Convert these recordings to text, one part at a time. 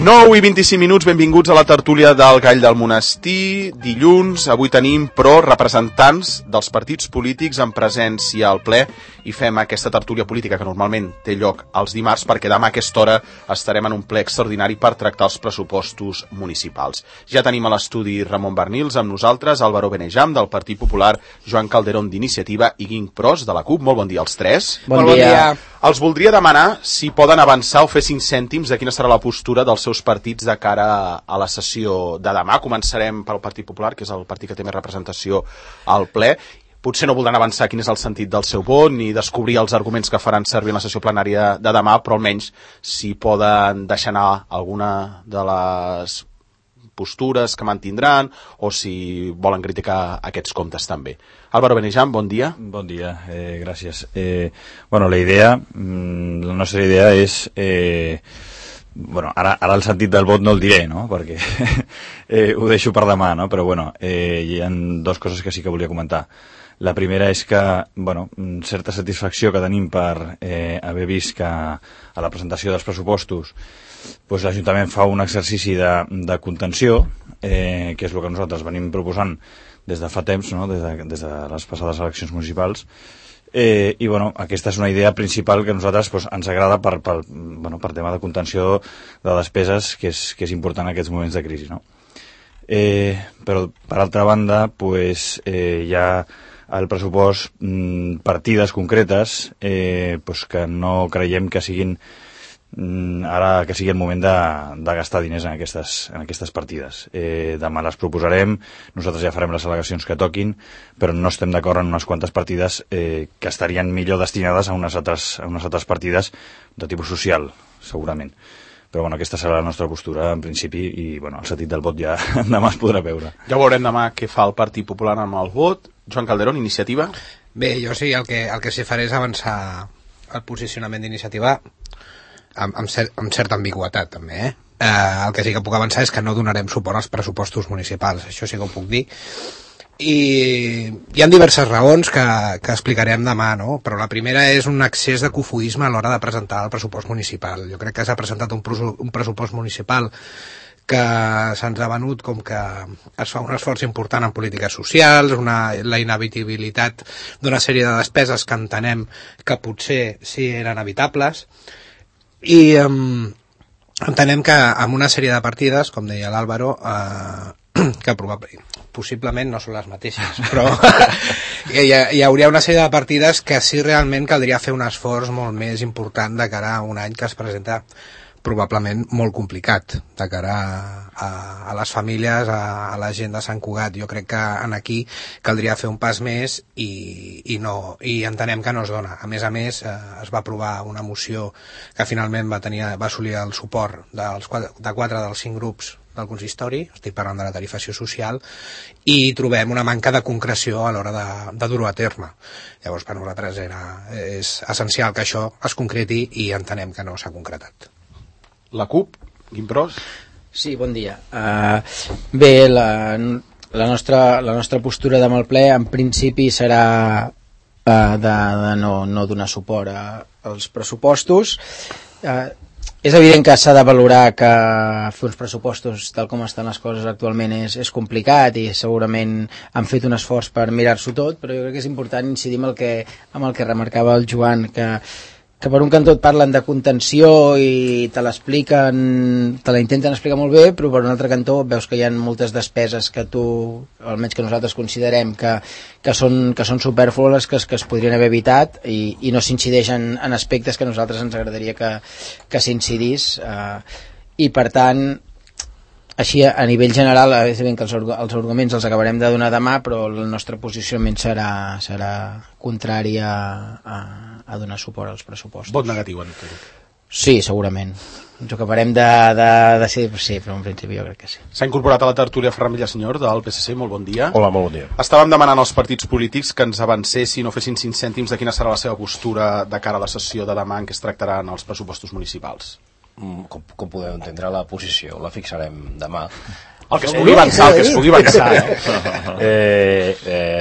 9 i 25 minuts, benvinguts a la tertúlia del Gall del Monestir. Dilluns, avui tenim, però, representants dels partits polítics en presència al ple i fem aquesta tertúlia política que normalment té lloc els dimarts perquè demà a aquesta hora estarem en un ple extraordinari per tractar els pressupostos municipals. Ja tenim a l'estudi Ramon Bernils amb nosaltres, Álvaro Benejam del Partit Popular, Joan Calderón d'Iniciativa i Guim Pros de la CUP. Molt bon dia als tres. Bon dia. Els voldria demanar si poden avançar o fer 5 cèntims de quina serà la postura dels seus partits de cara a la sessió de demà. Començarem pel Partit Popular, que és el partit que té més representació al ple. Potser no voldran avançar quin és el sentit del seu vot ni descobrir els arguments que faran servir en la sessió plenària de demà, però almenys si poden deixar anar alguna de les postures que mantindran o si volen criticar aquests comptes també. Álvaro Benejam, bon dia. Bon dia, gràcies. Bueno, la nostra idea és... Bueno, ara el sentit del vot no el diré, no?, perquè ho deixo per demà, no?, però bueno, hi ha dues coses que sí que volia comentar. La primera és que, bueno, certa satisfacció que tenim per haver vist que a la presentació dels pressupostos pues, l'Ajuntament fa un exercici de contenció, que és el que nosaltres venim proposant des de fa temps, no?, des de les passades eleccions municipals. I bueno, aquesta és una idea principal que a nosaltres pues, ens agrada per tema de contenció de despeses que és important en aquests moments de crisi, no? Però per altra banda pues, hi ha al pressupost partides concretes pues, que no creiem que siguin ara que sigui el moment de gastar diners en aquestes partides. Demà les proposarem, nosaltres ja farem les al·legacions que toquin, però no estem d'acord en unes quantes partides que estarien millor destinades a unes altres partides de tipus social, segurament. Però bueno, aquesta serà la nostra postura en principi i bueno, el sentit del vot ja demà es podrà veure. Ja veurem demà què fa el Partit Popular amb el vot. Joan Calderón, Iniciativa. Bé, jo sí, el que sí faré és avançar el posicionament d'Iniciativa amb certa ambigüetat també, el que sí que puc avançar és que no donarem suport als pressupostos municipals, això sí que ho puc dir, i hi ha diverses raons que explicarem demà, no? Però la primera és un excés de cofoisme a l'hora de presentar el pressupost municipal. Jo crec que s'ha presentat un pressupost municipal que se'ns ha venut com que es fa un esforç important en polítiques socials, la inevitabilitat d'una sèrie de despeses que entenem que potser sí eren evitables, i entenem que amb una sèrie de partides, com deia l'Àlvaro, que possiblement no són les mateixes, però hi hauria una sèrie de partides que sí realment caldria fer un esforç molt més important de cara a un any que es presenta probablement molt complicat de cara a les famílies, a la gent de Sant Cugat. Jo crec que aquí caldria fer un pas més i entenem que no es dona. A més, es va aprovar una moció que finalment va assolir el suport de 4 dels 5 grups del consistori, estic parlant de la tarifació social, i trobem una manca de concreció a l'hora de dur-ho a terme. Llavors, per nosaltres és essencial que això es concreti i entenem que no s'ha concretat. La CUP, Guim Pros. Sí, bon dia. Bé, la nostra postura demà al ple en principi serà de no donar suport als pressupostos. És evident que s'ha de valorar que fer uns pressupostos tal com estan les coses actualment és complicat i segurament han fet un esforç per mirar-s'ho tot, però jo crec que és important incidir amb el que remarcava el Joan, que per un cantó et parlen de contenció i te la intenten explicar molt bé, però per un altre cantó veus que hi ha moltes despeses que tu, almenys que nosaltres considerem que són supèrflues, que es podrien haver evitat i no s'incideix en aspectes que a nosaltres ens agradaria que s'incidís, i per tant així a nivell general és evident que els arguments els acabarem de donar demà, però el nostre posicionament serà contrari a donar suport als pressupostos. Vot negatiu en tot. Sí, segurament. Ens ho acabarem de decidir, sí, però en principi jo crec que sí. S'ha incorporat a la tertúlia Ferran Villasenyor del PSC, molt bon dia. Hola, molt bon dia. Estàvem demanant als partits polítics que ens avancessin o fessin 5 cèntims de quina serà la seva postura de cara a la sessió de demà en què es tractaran els pressupostos municipals. Com podeu entendre, la posició la fixarem demà. El que es pugui avançar,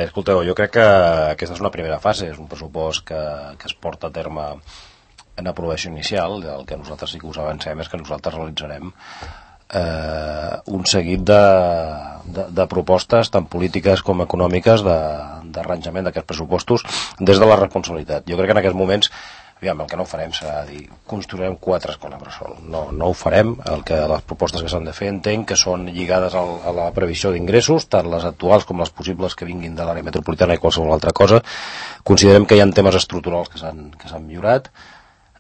escolteu, jo crec que aquesta és una primera fase, és un pressupost que es porta a terme en aprovació inicial. El que nosaltres sí que us avancem és que nosaltres realitzarem un seguit de propostes tant polítiques com econòmiques d'arranjament d'aquests pressupostos des de la responsabilitat. Jo crec que en aquests moments el que no farem serà dir construirem 4 escoles bressol. No ho farem. Les propostes que s'han de fer entenc que són lligades a la previsió d'ingressos, tant les actuals com les possibles que vinguin de l'àrea metropolitana i qualsevol altra cosa. Considerem que hi ha temes estructurals que s'han millorat.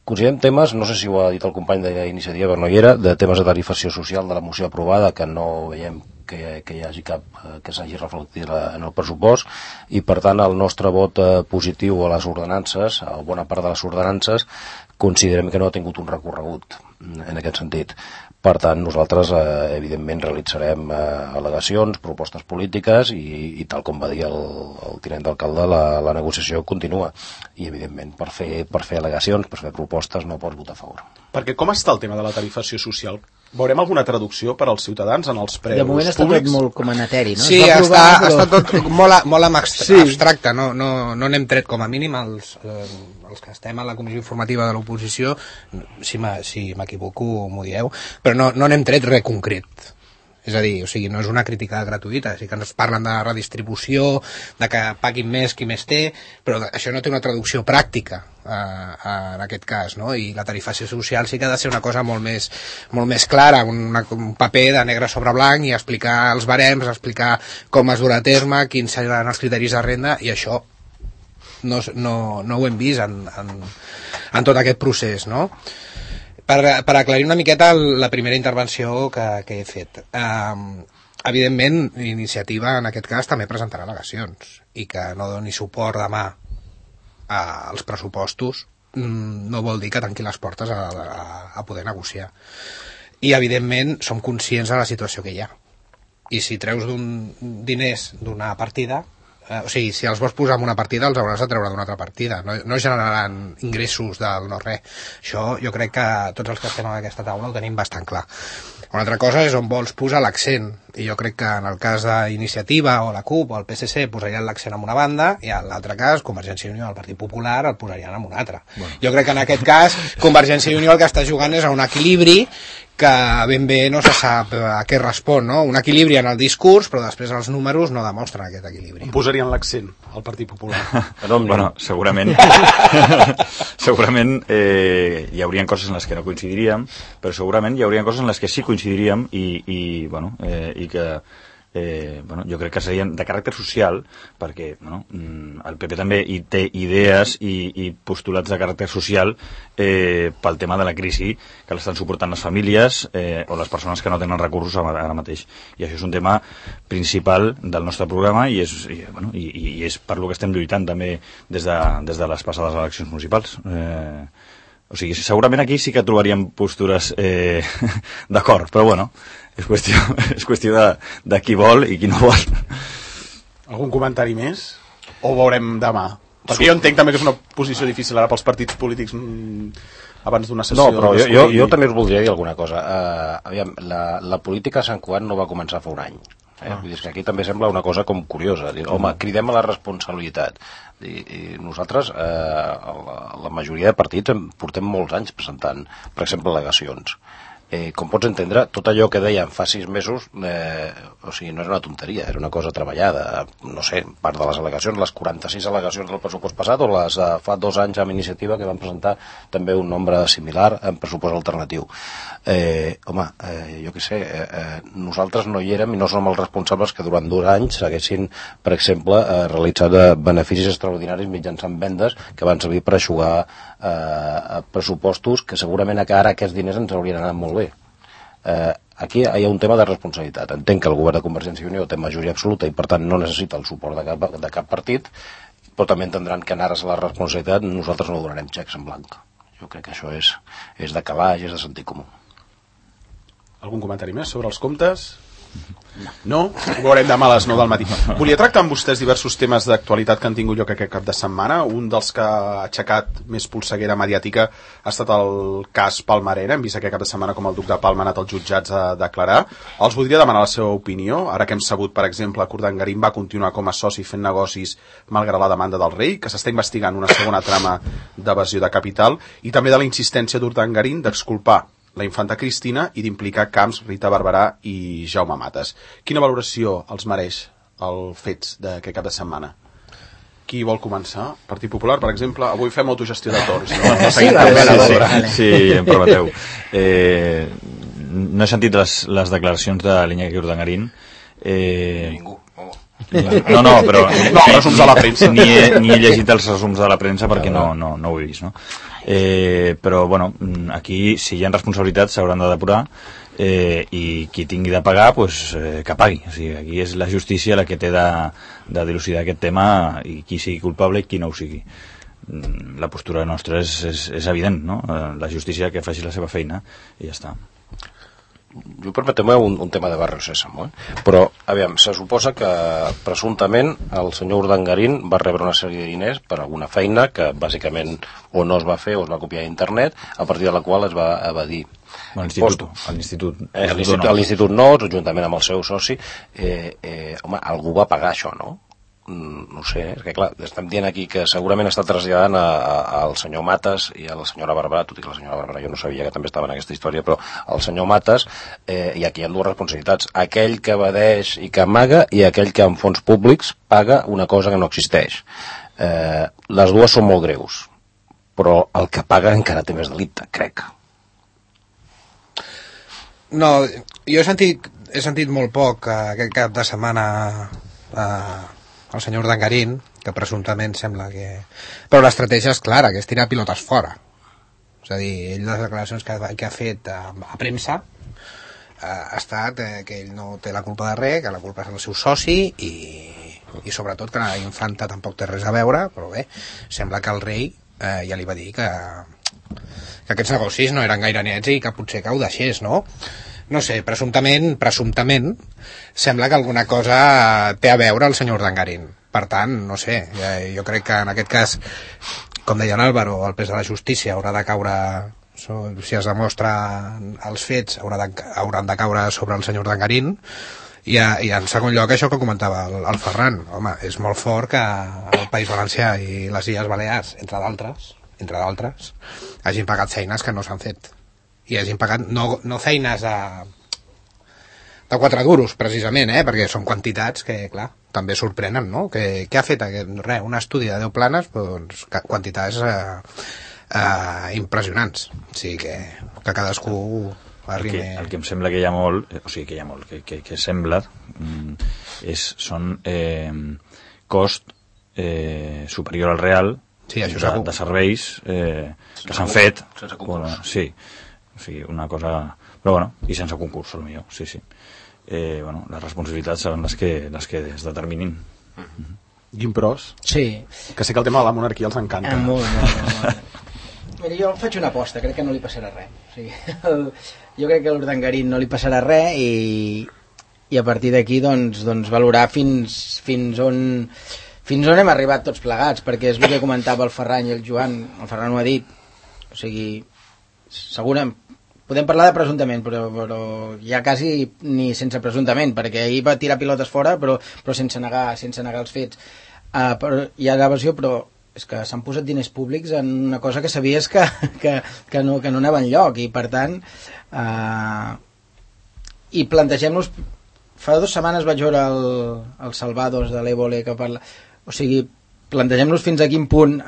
Considerem temes, no sé si ho ha dit el company d'Iniciativa, però no hi era, de temes de tarifació social de la moció aprovada, que no veiem que hi hagi cap que s'hagi reflectit en el pressupost, i per tant el nostre vot positiu a les ordenances, a bona part de les ordenances, considerem que no ha tingut un recorregut en aquest sentit. Per tant, nosaltres, evidentment, realitzarem al·legacions, propostes polítiques i tal com va dir el tinent d'alcalde, la negociació continua. I, evidentment, per fer al·legacions, per fer propostes, no pots votar a favor. Perquè com està el tema de la tarifació social? Veurem alguna traducció per als ciutadans en els preus públics? De moment està tot molt com en eteri, no? Sí, està tot molt abstracte. No n'hem tret com a mínim els que estem a la comissió informativa de l'oposició, si m'equivoco m'ho dieu, però no n'hem tret res concret. És a dir, no és una crítica gratuïta, sí que ens parlen de redistribució, de que paguin més qui més té, però això no té una traducció pràctica en aquest cas, no? I la tarifació social sí que ha de ser una cosa molt més clara, un paper de negre sobre blanc i explicar els barems, explicar com es durà a terme, quins seran els criteris de renda, i això no ho hem vist en tot aquest procés, no? Per aclarir una miqueta la primera intervenció que he fet. Evidentment, Iniciativa, en aquest cas, també presentarà al·legacions, i que no doni suport demà als pressupostos no vol dir que tanqui les portes a poder negociar. I, evidentment, som conscients de la situació que hi ha. I si treus diners d'una partida, si els vols posar en una partida els hauràs de treure d'una altra partida, no generaran ingressos del no-res. Això jo crec que tots els que estem en aquesta taula ho tenim bastant clar. Una altra cosa és on vols posar l'accent, i jo crec que en el cas d'Iniciativa o la CUP o el PSC posarien l'accent en una banda, i en l'altre cas Convergència i Unió o el Partit Popular el posarien en una altra. Jo crec que en aquest cas Convergència i Unió el que està jugant és a un equilibri que ben bé no se sap a què respon, no? Un equilibri en el discurs, però després els números no demostren aquest equilibri. On posarien l'accent al Partit Popular? Bueno, segurament hi haurien coses en les que no coincidiríem, però segurament hi haurien coses en les que sí coincidiríem i que jo crec que serien de caràcter social, perquè el PP també hi té idees i postulats de caràcter social pel tema de la crisi que l'estan suportant les famílies o les persones que no tenen recursos ara mateix, i això és un tema principal del nostre programa i és per lo que estem lluitant també des de les passades eleccions municipals. O sigui, segurament aquí sí que trobaríem postures d'acord, però bueno, és qüestió de qui vol i qui no vol. Algun comentari més? O veurem demà? Perquè jo entenc també que és una posició difícil ara pels partits polítics abans d'una sessió. No, però jo també us voldria dir alguna cosa. Aviam, la política a Sant Cugat no va començar fa un any. Vull dir que aquí també sembla una cosa com curiosa. Home, cridem a la responsabilitat. I nosaltres, la majoria de partits, portem molts anys presentant, per exemple, al·legacions. Com pots entendre, tot allò que dèiem fa 6 mesos, no és una tonteria, era una cosa treballada. No sé, part de les al·legacions, les 46 al·legacions del pressupost passat o les fa 2 anys amb Iniciativa que van presentar també un nombre similar en pressupost alternatiu. Jo què sé, nosaltres no hi érem i no som els responsables que durant 2 anys haguessin, per exemple, realitzat beneficis extraordinaris mitjançant vendes que van servir per eixugar pressupostos que segurament ara aquests diners ens haurien anat molt bé. Aquí hi ha un tema de responsabilitat. Entenc que el govern de Convergència i Unió té majoria absoluta i per tant no necessita el suport de cap partit, però també entendran que en ares a la responsabilitat nosaltres no donarem xecs en blanc. Jo crec que això és de calaix, és de sentit comú. Algun comentari més sobre els comptes? No? Ho veurem demà a les 9 del matí. Volia tractar amb vostès diversos temes d'actualitat que han tingut lloc aquest cap de setmana. Un dels que ha aixecat més polseguera mediàtica ha estat el cas Palmarena. Hem vist aquest cap de setmana com el duc de Palma ha anat als jutjats a declarar. Els voldria demanar la seva opinió. Ara que hem sabut, per exemple, que Urdangarín va continuar com a soci fent negocis malgrat la demanda del rei, que s'està investigant una segona trama d'evasió de capital, i també de la insistència d'Urdangarín d'exculpar la infanta Cristina i d'implicar Camps, Rita Barberà i Jaume Matas. Quina valoració els mereix els fets d'aquest cap de setmana? Qui vol començar? Partit Popular, per exemple. Avui fem autogestió de torns. Sí, em permeteu. No he sentit les declaracions de l'Iñaki Urdangarín. Ningú. No, però resums de la premsa. Ni he llegit els resums de la premsa perquè no ho he vist, no? Però bueno, aquí si hi ha responsabilitats s'hauran de depurar, i qui tingui de pagar pues, que pagui. O sigui, aquí és la justícia la que té de dilucidar aquest tema, i qui sigui culpable i qui no ho sigui. La postura nostra és evident, no? La justícia que faci la seva feina i ja està. Jo permeteu-me un tema de Barrio Sésamo, però aviam, se suposa que presumptament el senyor Urdangarín va rebre una sèrie de diners per alguna feina que bàsicament o no es va fer o es va copiar a internet, a partir de la qual es va evadir. L'Institut no, juntament amb el seu soci. Home, algú va pagar això, no? No sé, és que clar, estem dient aquí que segurament està traslladant al senyor Matas i a la senyora Barberà, tot i que la senyora Barberà jo no sabia que també estava en aquesta història, però el senyor Matas, i aquí hi ha dues responsabilitats: aquell que evadeix i que amaga, i aquell que amb fons públics paga una cosa que no existeix. Les dues són molt greus, però el que paga encara té més delicte, crec. No, jo he sentit molt poc aquest cap de setmana el senyor Urdangarín, que presumptament sembla que... Però l'estratègia és clara, que és tirar pilotes fora. És a dir, ell les declaracions que ha fet a premsa ha estat que ell no té la culpa de res, que la culpa és el seu soci i sobretot que la infanta tampoc té res a veure, però bé, sembla que el rei ja li va dir que aquests negocis no eren gaire nets i que potser que ho deixés, no? No sé, presumptament sembla que alguna cosa té a veure el senyor Urdangarín. Per tant, no sé, jo crec que en aquest cas, com deia l'Àlvaro, el pes de la justícia haurà de caure, si es demostra els fets, hauran de caure sobre el senyor Urdangarín. I en segon lloc, això que comentava el Ferran, home, és molt fort que el País Valencià i les Illes Balears, entre d'altres, hagin pagat feines que no s'han fet. I hagin pagat no feines de 4 duros, precisament, perquè són quantitats que, clar, també sorprenen, no? Què ha fet? Un estudi de 10 planes, doncs, quantitats impressionants. O sigui que cadascú arribi... El que em sembla que hi ha molt, que sembla, són cost superior al real, sí, de serveis que s'han fet. Sense concurs. Sí. O sigui, una cosa... Però bueno, i sense concurs, potser, sí. Les responsabilitats seran les que es determinin. Guimpros? Sí. Que sé que el tema de la monarquia els encanta. Molt. Mira, jo faig una aposta, crec que no li passarà res. O sigui, jo crec que a l'Urdangarín no li passarà res i a partir d'aquí doncs valorar fins on hem arribat tots plegats, perquè és el que comentava el Ferran i el Joan. El Ferran ho ha dit. O sigui, segurament podem parlar de presumptament, però ja quasi ni sense presumptament, perquè ahir va tirar pilotes fora, però sense negar els fets. Hi ha l'evasió, però és que s'han posat diners públics en una cosa que sabies que no anava enlloc, i per tant i plantegem-nos, fa 2 setmanes vaig veure el Salvados de l'Évole que parla, o sigui, plantegem-nos fins a quin punt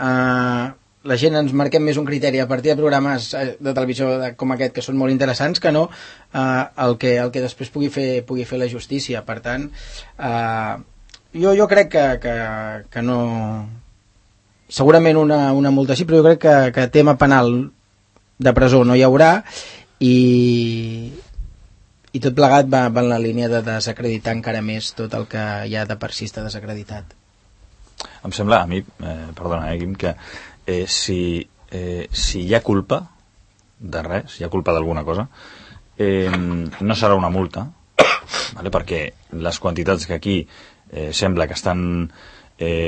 la gent ens marquem més un criteri a partir de programes de televisió com aquest, que són molt interessants, que no el que després pugui fer la justícia. Per tant, jo crec que no... Segurament una multa sí, però jo crec que tema penal de presó no hi haurà, i tot plegat va en la línia de desacreditar encara més tot el que ja de per si està desacreditat. Em sembla, a mi, perdona, Guim, que si hi ha culpa de res, si hi ha culpa d'alguna cosa, no serà una multa, vale? Perquè les quantitats que aquí sembla que estan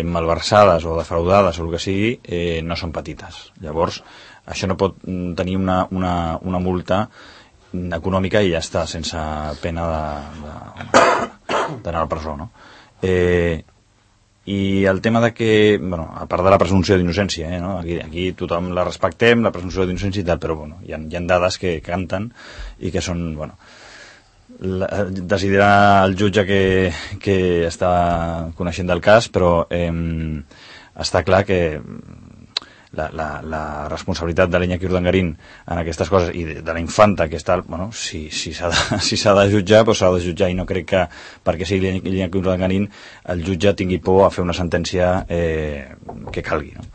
malversades o defraudades o el que sigui, no són petites. Llavors, això no pot tenir una multa econòmica i ja està, sense pena d'anar a la presó, no? I el tema de que, bueno, a part de la presumpció d'innocència, no? Aquí tothom la respectem, la presumpció d'innocència i tal, però bueno, hi ha dades que canten i que són, bueno, decidirà el jutge que està coneixent del cas, però està clar que la responsabilitat de l'Iñaki Urdangarín en aquestes coses i de la infanta que està, bueno, si s'ha de jutjar, doncs s'ha de jutjar, i no crec que perquè sigui l'Iñaki Urdangarín el jutge tingui por a fer una sentència que calgui, no?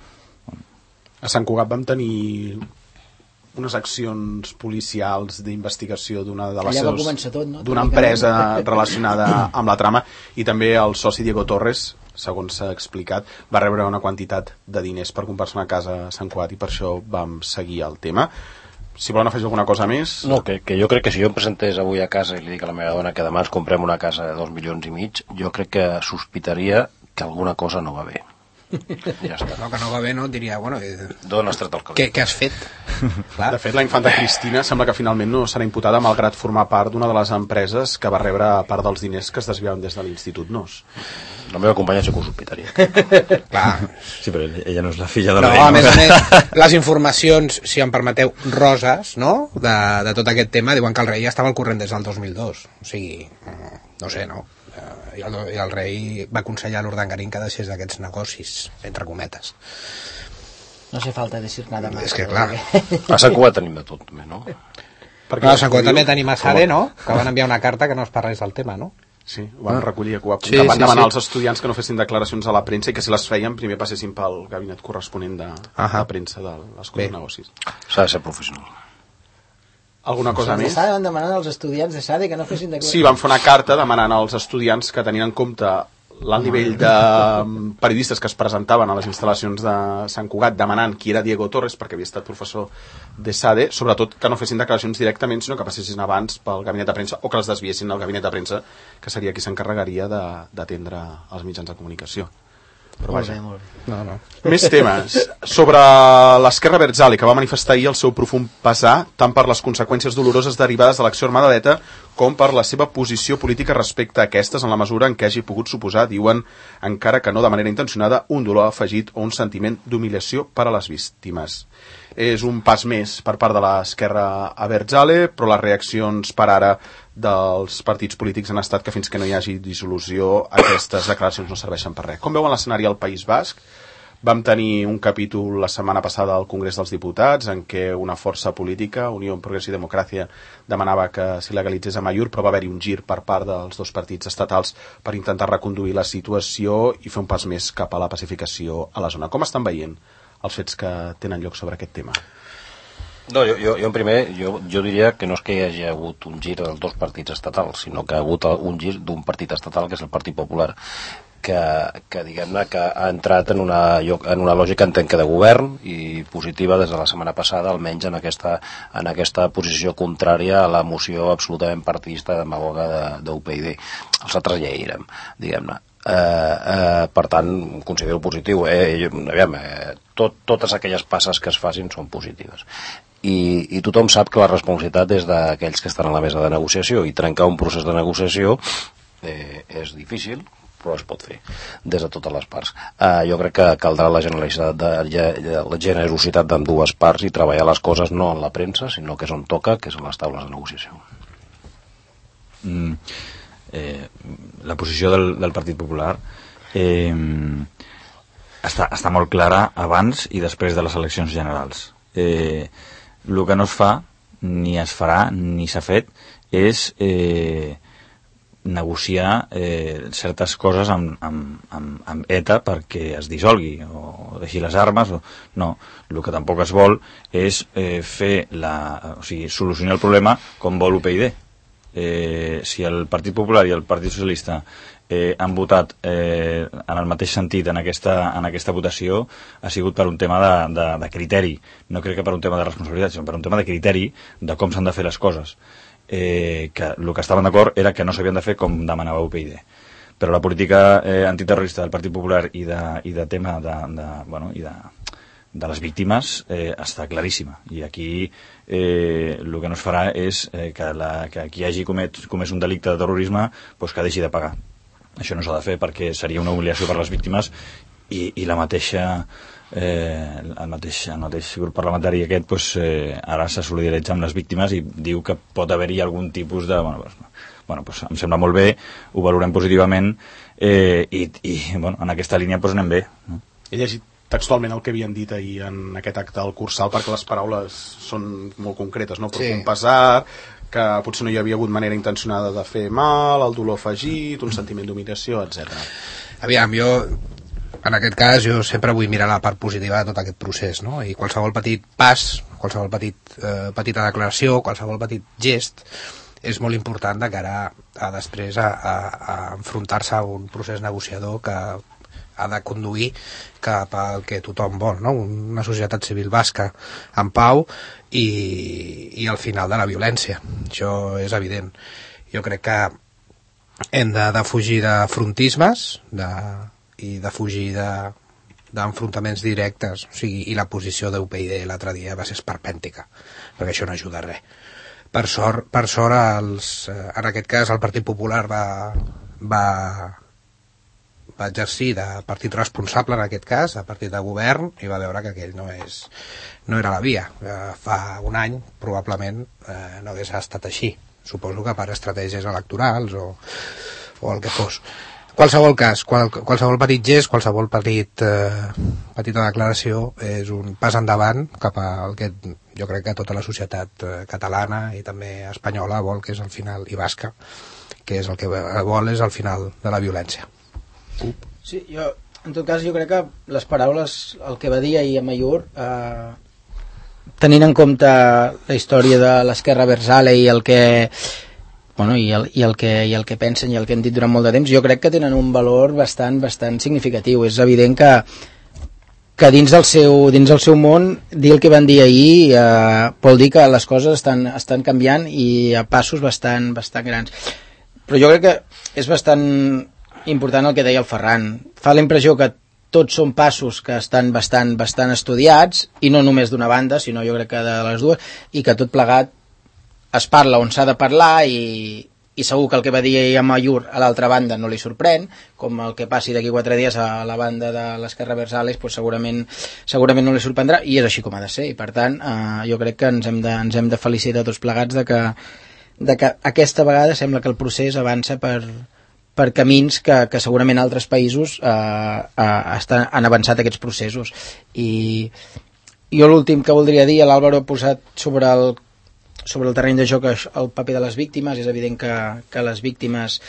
A Sant Cugat vam tenir unes accions policials d'investigació d'una de les d'una empresa relacionada amb la trama, i també el soci Diego Torres, segons s'ha explicat, va rebre una quantitat de diners per comprar-se una casa a Sant Cugat, i per això vam seguir el tema. Si volen afegir alguna cosa més... No, que jo crec que si jo em presentés avui a casa i li dic a la meva dona que demà ens comprem una casa de 2,5 milions, jo crec que sospitaria que alguna cosa no va bé. Ja està. No, que no va bé, no? Diria, bueno... D'on has tret el cabell? Què has fet? De fet, la infanta Cristina sembla que finalment no serà imputada, malgrat formar part d'una de les empreses que va rebre part dels diners que es desviaven des de l'Institut NOS. La meva companya sí que ho sospitaria. Clar. Sí, però ella no és la filla del rei. No, a més, les informacions, si em permeteu, roses, no?, de tot aquest tema, diuen que el rei ja estava al corrent des del 2002. O sigui, no sé, no? I el rei va aconsellar a l'Urdangarín que deixés d'aquests negocis, entre cometes. No hace falta decir nada más. És que clar. A Sant Cugat tenim de tot, també, no? Perquè a Sant Cugat també tenim a Sade, no?, que van enviar una carta que no es parlés del tema, no? Sí, ho van recollir, que van demanar als estudiants que no fessin declaracions a la premsa i que si les feien primer passessin pel gabinet corresponent de premsa de l'Escola de Negocis. S'ha de ser professional. Alguna cosa més? Van demanant als estudiants de SADE que no fessin declaracions. Sí, van fer una carta demanant als estudiants que tenien en compte l'alt nivell de periodistes que es presentaven a les instal·lacions de Sant Cugat, demanant qui era Diego Torres, perquè havia estat professor de SADE, sobretot que no fessin declaracions directament, sinó que passessin abans pel gabinet de premsa, o que les desviessin al gabinet de premsa, que seria qui s'encarregaria d'atendre els mitjans de comunicació. Però vaja. No. Més temes. Sobre l'Esquerra Abertzale, que va manifestar ahir el seu profund pesar tant per les conseqüències doloroses derivades de l'acció armada d'ETA com per la seva posició política respecte a aquestes, en la mesura en què hagi pogut suposar, diuen, encara que no de manera intencionada, un dolor afegit o un sentiment d'humiliació per a les víctimes. És un pas més per part de l'Esquerra Abertzale, però les reaccions per ara dels partits polítics han estat que fins que no hi hagi dissolució aquestes declaracions no serveixen per res. Com veuen l'escenari al País Basc? Vam tenir un capítol la setmana passada al Congrés dels Diputats en què una força política, Unió en Progrés i Democràcia, demanava que s'hi legalitzés a Amaiur, però va haver-hi un gir per part dels dos partits estatals per intentar reconduir la situació i fer un pas més cap a la pacificació a la zona. Com estan veient els fets que tenen lloc sobre aquest tema? No, jo en primer, jo diria que no és que hi hagi hagut un gir dels dos partits estatals, sinó que ha hagut un gir d'un partit estatal, que és el Partit Popular, que diguem-ne que ha entrat en una lògica, entenc que de govern, i positiva des de la setmana passada, almenys en aquesta posició contrària a la moció absolutament partidista demagoga d'UPyD. Els altres ja hi érem, diguem-ne. Per tant, considero positiu. Totes aquelles passes que es facin són positives. I tothom sap que la responsabilitat és d'aquells que estan a la mesa de negociació, i trencar un procés de negociació és difícil, però es pot fer des de totes les parts. Jo crec que caldrà la generositat d'ambdues parts i treballar les coses no en la premsa, sinó que és on toca, que és en les taules de negociació. La posició del Partit Popular està molt clara abans i després de les eleccions generals. El que no es fa, ni es farà, ni s'ha fet, és negociar certes coses amb ETA perquè es dissolgui o deixi les armes. No, el que tampoc es vol és solucionar el problema com vol UPyD. Si el Partit Popular i el Partit Socialista han votat en el mateix sentit en aquesta votació, ha sigut per un tema de criteri. No crec que per un tema de responsabilitat, sinó per un tema de criteri de com s'han de fer les coses. que el que estaven d'acord era que no s'havien de fer com demanava UPyD. Però la política antiterrorista del Partit Popular i de tema de les víctimes està claríssima. I aquí el que no es farà és que qui hagi comès un delicte de terrorisme pues, que deixi de pagar. Això no s'ha de fer perquè seria una humiliació per les víctimes i la mateixa el mateix grup parlamentari aquest pues, ara se solidaritza amb les víctimes i diu que pot haver-hi algun tipus de... pues, em sembla molt bé, ho valorem positivament i en aquesta línia pues, anem bé. No? He llegit textualment el que havien dit ahir en aquest acte al Cursal perquè les paraules són molt concretes, no? Però un pesar, que potser no hi havia hagut manera intencionada de fer mal, el dolor afegit, un sentiment d'humiliació, etc. Aviam, en aquest cas jo sempre vull mirar la part positiva de tot aquest procés, no? I qualsevol petit pas, qualsevol petita declaració, qualsevol petit gest és molt important de cara a després a enfrontar-se a un procés negociador que ha de conduir cap al que tothom vol, no? Una societat civil basca en pau i al final de la violència. Això és evident. Jo crec que hem de fugir de frontismes i de fugir d'enfrontaments directes, o sigui, i la posició d'UPyD l'altre dia va ser esperpèntica, perquè això no ajuda a res. Per sort en aquest cas el Partit Popular va exercir de partit responsable en aquest cas, de partit de govern, i va veure que aquell no era la via. Fa un any probablement no hagués estat així, suposo que per estratègies electorals o el que fos. Qualsevol cas, qualsevol petit gest, qualsevol petita declaració és un pas endavant cap al que jo crec que tota la societat catalana i també espanyola vol, que és al final, i basca, que és el que vol és al final de la violència. Sí, en tot cas jo crec que les paraules, el que va dir ahir a Mayur, tenint en compte la història de l'esquerra Versale i el que i el que pensen i el que hem dit durant molt de temps, jo crec que tenen un valor bastant significatiu. És evident que dins del seu món dir el que van dir ahir vol dir que les coses estan canviant i a passos bastant grans. Però jo crec que és bastant important el que deia el Ferran. Fa la impressió que tots són passos que estan bastant estudiats, i no només d'una banda, sinó jo crec que de les dues, i que tot plegat es parla on s'ha de parlar i segur que el que va dir a Mayur a l'altra banda no li sorprèn, com el que passi d'aquí 4 dies a la banda de l'esquerra Versales, pues segurament no li sorprendrà, i és així com ha de ser, i per tant jo crec que ens hem de felicitar tots plegats de que aquesta vegada sembla que el procés avança per camins que segurament altres països han avançat aquests processos. I jo l'últim que voldria dir, l'Àlvaro ha posat sobre el terreny de joc el paper de les víctimes. És evident que les víctimes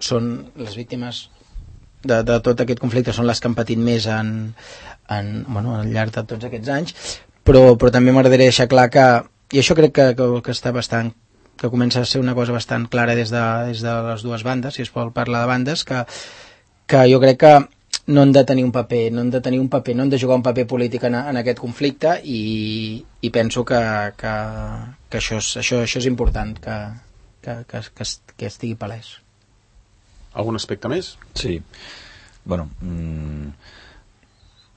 són les víctimes de tot aquest conflicte, són les que han patit més al llarg de tots aquests anys, però també m'agradaria deixar clar que, i això crec que està que comença a ser una cosa bastant clara des de les dues bandes, si es vol parlar de bandes, que jo crec que no han de tenir un paper, no han de jugar un paper polític en aquest conflicte, i penso que això és important, que estigui palès. Algun aspecte més? Sí.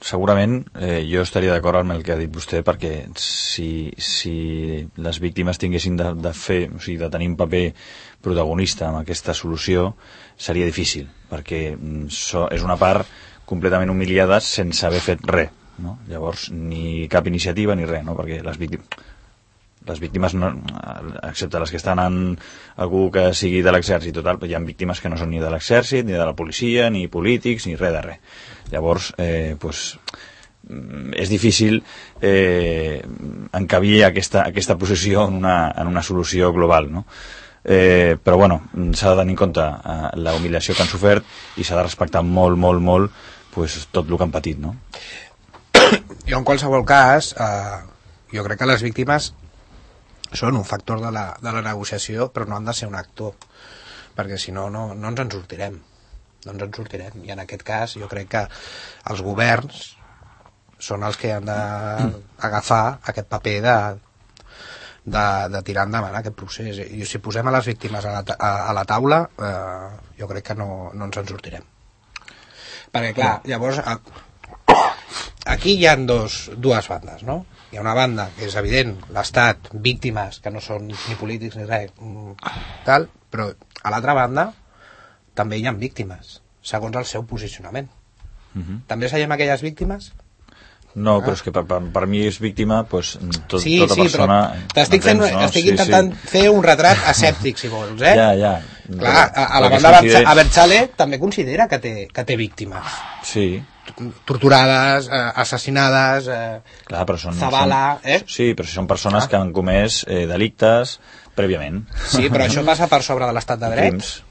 Segurament jo estaria d'acord amb el que ha dit vostè, perquè si les víctimes tinguessin de fer, o sigui, de tenir un paper protagonista en aquesta solució, seria difícil, perquè és una part completament humiliada sense haver fet res, no? Llavors ni cap iniciativa ni res, no? Perquè les víctimes no, excepte les que estan en algú que sigui de l'exèrcit total, hi ha víctimes que no són ni de l'exèrcit, ni de la policia, ni polítics, ni res de res. Llavors és difícil encabir aquesta posició en una solució global, no? Però s'ha de tenir en compte la humiliació que han sofert i s'ha de respectar molt tot el que han patit, no? Jo en qualsevol cas jo crec que les víctimes són un factor de la negociació, però no han de ser un actor, perquè si no ens en sortirem, i en aquest cas jo crec que els governs són els que han d'agafar aquest paper de tirar endavant aquest procés. I si posem a les víctimes a la taula, jo crec que no ens en sortirem. Perquè, clar, llavors, aquí hi ha dues bandes, no? Hi ha una banda que és evident, l'Estat, víctimes, que no són ni polítics ni res, tal, però a l'altra banda també hi ha víctimes, segons el seu posicionament. També seguim aquelles víctimes? No, però és que per mi és víctima pues, tota Sí, persona... però estic intentant fer un retrat asèptic, si vols, eh? Ja. Clar, a la banda Abertzale també considera que té víctimes. Sí. Torturades, assassinades, clar, però Zavala, Sí, però si són persones que han comès delictes prèviament. Sí, però això passa per sobre de l'estat de dret. Crims.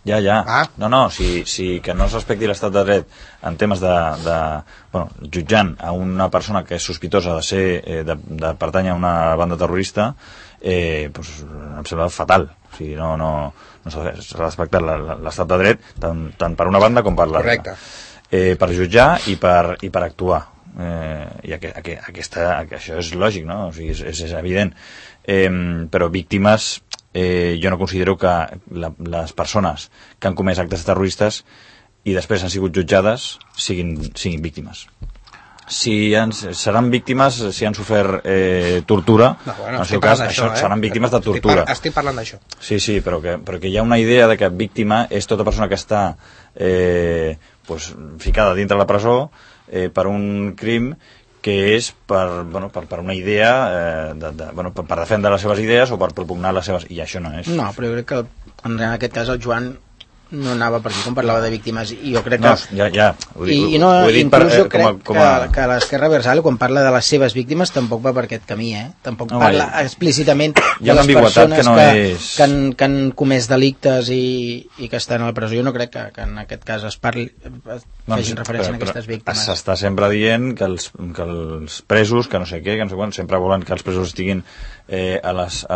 Ja. No, si que no es respecti l'estat de dret en temes jutjant a una persona que és sospitosa de ser de pertànyer a una banda terrorista, pues, em sembla fatal. O sigui, no s'ha respectat l'estat de dret tant per una banda com per l'altra. Per jutjar i per actuar. I això és lògic, no? O sigui, és evident. Però víctimes... jo no considero que les persones que han comès actes terroristes i després han sigut jutjades siguin víctimes. Seran víctimes si han sofert tortura, en el seu cas seran víctimes de tortura. Estic parlant d'això. Sí, però que hi ha una idea de que víctima és tota persona que està ficada dintre la presó per un crim que és per una idea per defendre les seves idees o per propugnar les seves... I això no és. No, però jo crec que en aquest cas el Joan no anava per aquí quan parlava de víctimes, i jo crec que... No, ja, ho he dit inclús jo crec que l'esquerra Abertzale, quan parla de les seves víctimes, tampoc va per aquest camí, Tampoc parla explícitament de les persones que han comès delictes i que estan a la presó. Jo no crec que en aquest cas facin referència a aquestes víctimes. S'està sempre dient que els presos, que no sé què, que no sé quan, sempre volen que els presos estiguin a les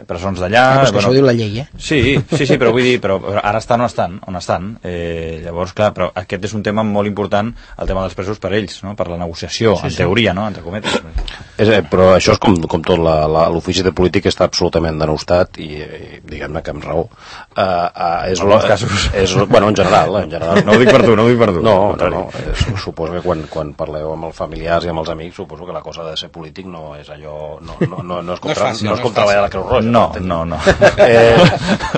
presons d'allà... Però això ho diu la llei, Sí, però vull dir, però ara estan on estan. Llavors, clar, però aquest és un tema molt important, el tema dels presos per ells, no? Per la negociació, en teoria, no? Entre cometes. Però això és com tot, l'ofici de polític està absolutament denostat i diguem-ne que amb raó. En alguns casos. Bueno, en general. No ho dic per tu. No. Suposo que quan parleu amb els familiars i amb els amics, suposo que la cosa de ser polític no és allò... No és com treballar a la Creu Roja. No.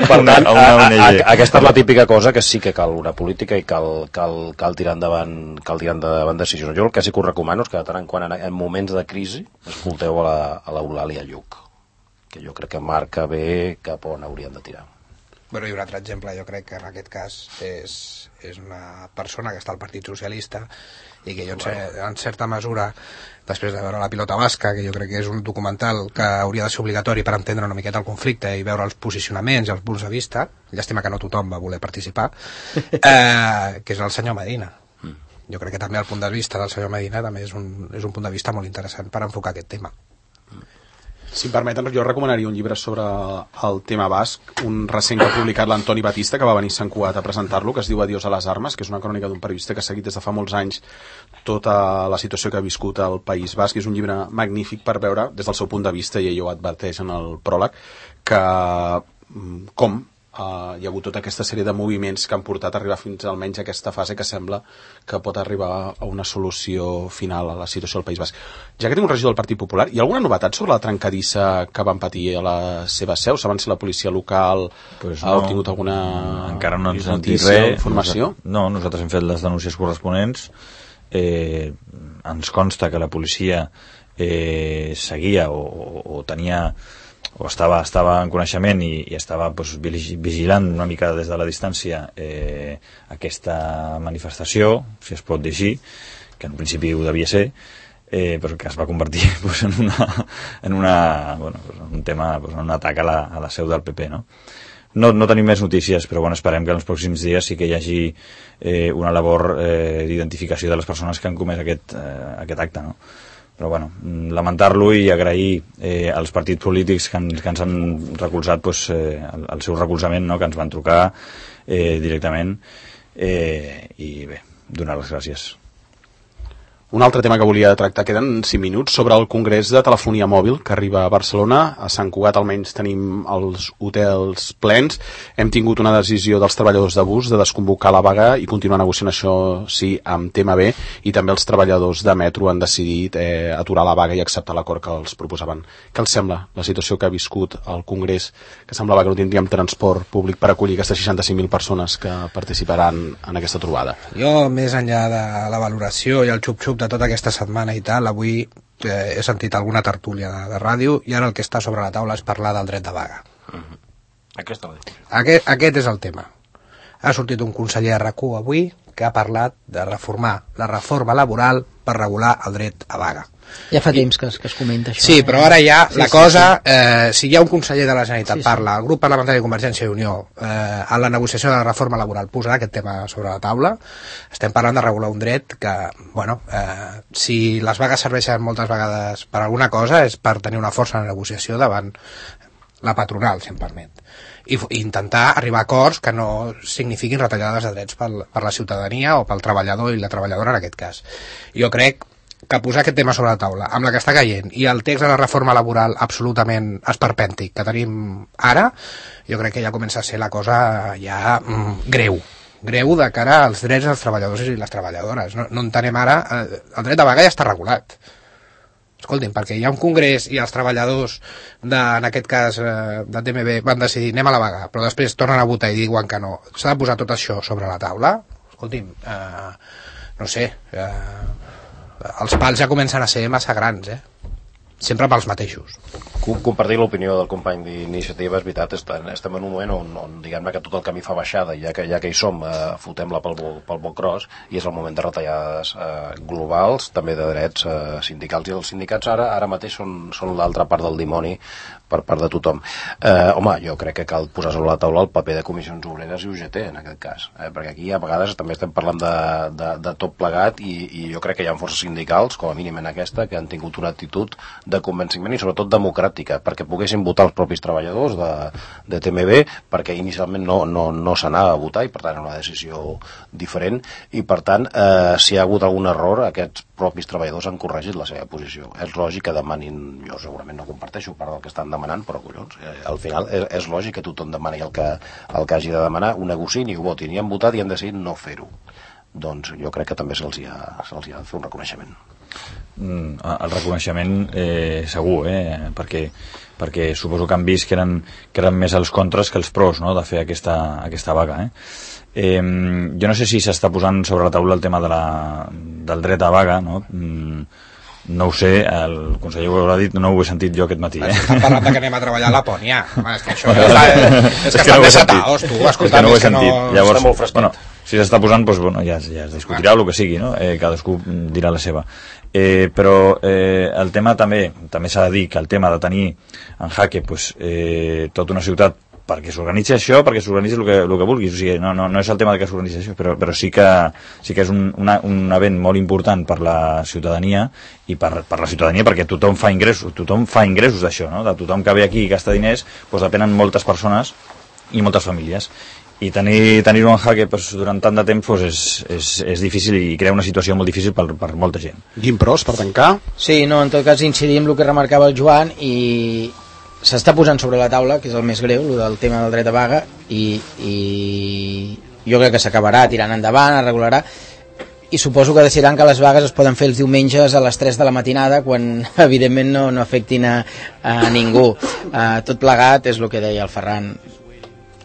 Per tant, aquesta és la típica cosa que sí que cal una política i cal tirar endavant decisions. Jo el que sí que us recomano és que de tant en quant en moments de crisi escolteu a l'Eulàlia Lluch, que jo crec que marca bé cap on haurien de tirar. Bueno, i un altre exemple, jo crec que en aquest cas és una persona que està al Partit Socialista i que jo en certa mesura, després de veure La pilota basca, que jo crec que és un documental que hauria de ser obligatori per entendre una miqueta el conflicte i veure els posicionaments i els punts de vista, llàstima que no tothom va voler participar, que és el senyor Medina. Jo crec que també el punt de vista del senyor Medina també és un punt de vista molt interessant per enfocar aquest tema. Si em permeten, jo recomanaria un llibre sobre el tema basc, un recent que ha publicat l'Antoni Batista, que va venir a Sant Cugat a presentar-lo, que es diu Adiós a les armes, que és una crònica d'un periodista que ha seguit des de fa molts anys tota la situació que ha viscut al País Basc, i és un llibre magnífic per veure des del seu punt de vista, i ell ho adverteix en el pròleg, que com hi ha hagut tota aquesta sèrie de moviments que han portat a arribar fins almenys a aquesta fase que sembla que pot arribar a una solució final a la situació del País Basc. Ja que tinc un regidor del Partit Popular, hi ha alguna novetat sobre la trencadissa que van patir a la seva seu? Saben si la policia local ha obtingut alguna encara no ens notícia o informació? No, nosaltres hem fet les denúncies corresponents. Ens consta que la policia seguia o tenia o estava en coneixement i estava vigilant una mica des de la distància aquesta manifestació, si es pot dir així, que en principi ho devia ser, però que es va convertir en un tema, en un atac a la seu del PP, no? No tenim més notícies, però esperem que en els pròxims dies sí que hi hagi una labor d'identificació de les persones que han comès aquest acte, no? Però lamentar-lo i agrair als partits polítics que ens han recolzat el seu recolzament, que ens van trucar directament, i bé, donar les gràcies. Un altre tema que volia tractar, queden 5 minuts, sobre el Congrés de Telefonia Mòbil que arriba a Barcelona. A Sant Cugat almenys tenim els hotels plens. Hem tingut una decisió dels treballadors de bus de desconvocar la vaga i continuar negociant això, sí, amb TMB, i també els treballadors de metro han decidit aturar la vaga i acceptar l'acord que els proposaven. Què els sembla la situació que ha viscut el Congrés, que semblava que no tindríem transport públic per acollir aquestes 65.000 persones que participaran en aquesta trobada? Jo, més enllà de la valoració i el xup-xup de tota aquesta setmana i tal, avui he sentit alguna tertúlia de ràdio i ara el que està sobre la taula és parlar del dret de vaga. Aquest és el tema. Ha sortit un conseller de RAC1 avui que ha parlat de reformar la reforma laboral per regular el dret a vaga. Ja fa temps que es comenta això. Sí, però ara ja la cosa, si hi ha un conseller de la Generalitat parla, el grup parlamentari de Convergència i Unió en la negociació de la reforma laboral posarà aquest tema sobre la taula, estem parlant de regular un dret que, bueno, si les vagues serveixen moltes vegades per alguna cosa és per tenir una força de negociació davant la patronal, si em permet, i intentar arribar a acords que no signifiquin retallades de drets per la ciutadania o pel treballador i la treballadora en aquest cas. Jo crec que posar aquest tema sobre la taula, amb la que està caient, i el text de la reforma laboral absolutament esperpèntic que tenim ara, jo crec que ja comença a ser la cosa ja greu de cara als drets dels treballadors i les treballadores. No entenem ara, el dret de vaga ja està regulat. Escoltin, perquè hi ha un congrés i els treballadors, en aquest cas de TMB, van decidir anem a la vaga, però després tornen a votar i diuen que no. S'ha de posar tot això sobre la taula? Escoltin, no sé, els pals ja comencen a ser massa grans, sempre pels mateixos. Compartir l'opinió del company d'Iniciativa, és veritat, estem en un moment on diguem-ne que tot el camí fa baixada, ja que hi som, fotem-la pel bon gros, i és el moment de retallades globals, també de drets sindicals, i els sindicats ara mateix són l'altra part del dimoni per part de tothom. Home, jo crec que cal posar sobre la taula el paper de comissions obreres i UGT en aquest cas, perquè aquí a vegades també estem parlant de tot plegat i jo crec que hi ha forces sindicals, com a mínim en aquesta, que han tingut una actitud de convenciment i sobretot democràtica, perquè poguessin votar els propis treballadors de TMB, perquè inicialment no s'anava a votar i per tant era una decisió diferent, i per tant si hi ha hagut algun error aquests propis treballadors han corregit la seva posició. És lògic que demanin, jo segurament no comparteixo part del que estan demanant, però collons, al final és lògic que tothom demani el que hagi de demanar, ho negociïn i ho votin, i han votat i han decidit no fer-ho. Doncs jo crec que també se'ls ha de fer un reconeixement. El reconeixement segur, perquè suposo que han vist que eren més els contres que els pros, no?, de fer aquesta vaga. Jo no sé si s'està posant sobre la taula el tema del dret a vaga, no? No ho sé, el conseller ho haurà dit, no ho he sentit jo aquest matí. Estan parlant que anem a treballar a Lapònia. És que això és que estan desataos, tu. Escolta, no ho he sentit. Llavors, bueno, si s'està posant, doncs, bueno, ja es discutirà el que sigui, no? Cadascú dirà la seva. Però el tema també s'ha de dir que el tema de tenir en jaque tota una ciutat perquè s'organitzi això, perquè s'organitzi el que vulguis, o sigui, no és el tema de que s'organitzi això, però sí que és un event molt important per la ciutadania i per la ciutadania perquè tothom fa ingressos d'això, no? De tothom que ve aquí i gasta diners, doncs depenen moltes persones i moltes famílies, i tenir-ho en jaque durant tant de temps és difícil i crea una situació molt difícil per molta gent. Guim Pros, per tancar? Sí, no, en tot cas incidir en el que remarcava el Joan, i s'està posant sobre la taula, que és el més greu, el del tema del dret a vaga, i jo crec que s'acabarà tirant endavant, es regularà, i suposo que decidiran que les vagues es poden fer els diumenges a les 3 de la matinada, quan evidentment no afectin a ningú. Tot plegat és el que deia el Ferran.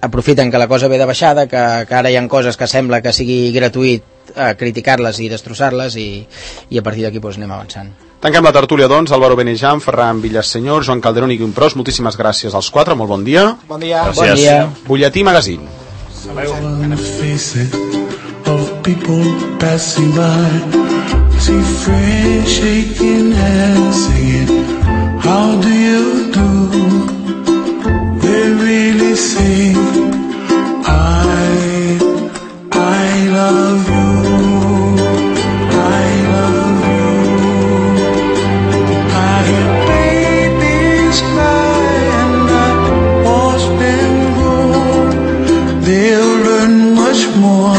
Aprofiten que la cosa ve de baixada, que ara hi ha coses que sembla que sigui gratuït criticar-les i destrossar-les, i a partir d'aquí anem avançant. Tanquem la tertúlia, doncs. Álvaro Benejan, Ferran Villasenyor, Joan Calderón i Guim Pros, moltíssimes gràcies als 4, molt bon dia. Bon dia. Gràcies. Bon dia. Butlletí Magazine. How do you do? They really say I love you. More